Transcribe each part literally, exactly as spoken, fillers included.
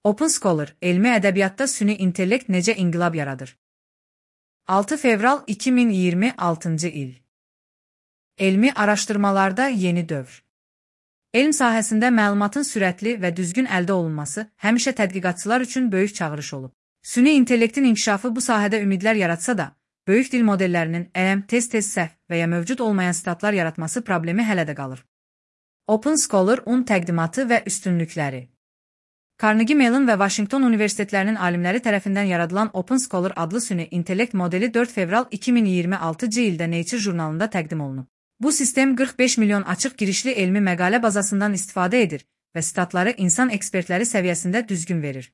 Open Scholar, elmi ədəbiyyatda süni intellekt necə inqilab yaradır? altı fevral iki min iyirmi altıncı il. Elmi araşdırmalarda yeni dövr. Elm sahəsində məlumatın sürətli və düzgün əldə olunması həmişə tədqiqatçılar üçün böyük çağırış olub. Süni intellektin inkişafı bu sahədə ümidlər yaratsa da, böyük dil modellərinin əm, tez-tez səhv və ya mövcud olmayan statlar yaratması problemi hələ də qalır. Open Scholar-un təqdimatı və üstünlükləri. Carnegie Mellon və Washington Universitetlərinin alimləri tərəfindən yaradılan Open Scholar adlı süni intellekt modeli dörd fevral iki min iyirmi altıncı ildə Nature jurnalında təqdim olunub. Bu sistem qırx beş milyon açıq girişli elmi məqalə bazasından istifadə edir və statları insan ekspertləri səviyyəsində düzgün verir.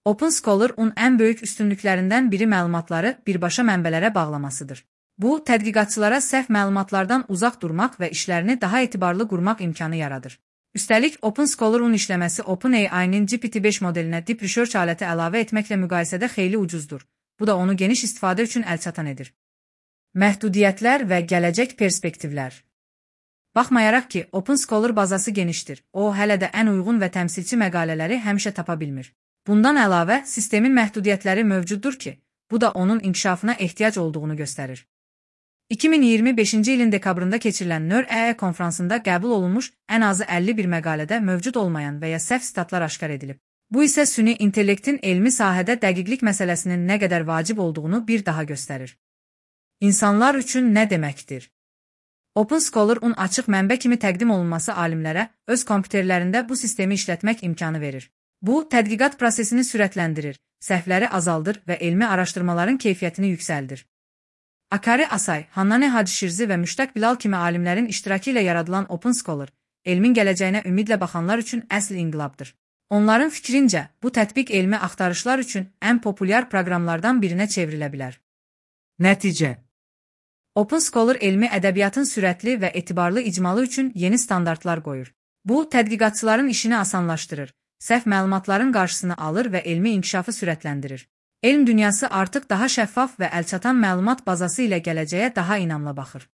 Open Scholar-un ən böyük üstünlüklərindən biri məlumatları birbaşa mənbələrə bağlamasıdır. Bu, tədqiqatçılara səhv məlumatlardan uzaq durmaq və işlərini daha etibarlı qurmaq imkanı yaradır. Üstəlik, Open Scholar-un işləməsi OpenAI-nin G P T beş modelinə Deep Research aləti əlavə etməklə müqayisədə xeyli ucuzdur. Bu da onu geniş istifadə üçün əlçatan edir. Məhdudiyyətlər və gələcək perspektivlər. Baxmayaraq ki, Open Scholar bazası genişdir, o hələ də ən uyğun və təmsilçi məqalələri həmişə tapa bilmir. Bundan əlavə, sistemin məhdudiyyətləri mövcuddur ki, bu da onun inkişafına ehtiyac olduğunu göstərir. iki min iyirmi beşinci ilin dekabrında keçirilən NeurAI konfransında qəbul olunmuş ən azı əlli bir məqalədə mövcud olmayan və ya səhv statlar aşkar edilib. Bu isə süni intellektin elmi sahədə dəqiqlik məsələsinin nə qədər vacib olduğunu bir daha göstərir. İnsanlar üçün nə deməkdir? Open Scholar-un açıq mənbə kimi təqdim olunması alimlərə öz kompüterlərində bu sistemi işlətmək imkanı verir. Bu, tədqiqat prosesini sürətləndirir, səhvləri azaldır və elmi araşdırmaların keyfiyyətini yüksəldir. Akari Asay, Hannane Hacişirzi və Müştaq Bilal kimi alimlərin iştirakı ilə yaradılan Open Scholar, elmin gələcəyinə ümidlə baxanlar üçün əsl inqilabdır. Onların fikrincə, bu tətbiq elmi axtarışlar üçün ən populyar proqramlardan birinə çevrilə bilər. Nəticə. Open Scholar elmi ədəbiyyatın sürətli və etibarlı icmalı üçün yeni standartlar qoyur. Bu, tədqiqatçıların işini asanlaşdırır, səhv məlumatların qarşısını alır və elmi inkişafı sürətləndirir. Elm dünyası artıq daha şəffaf və əlçatan məlumat bazası ilə gələcəyə daha inamla baxır.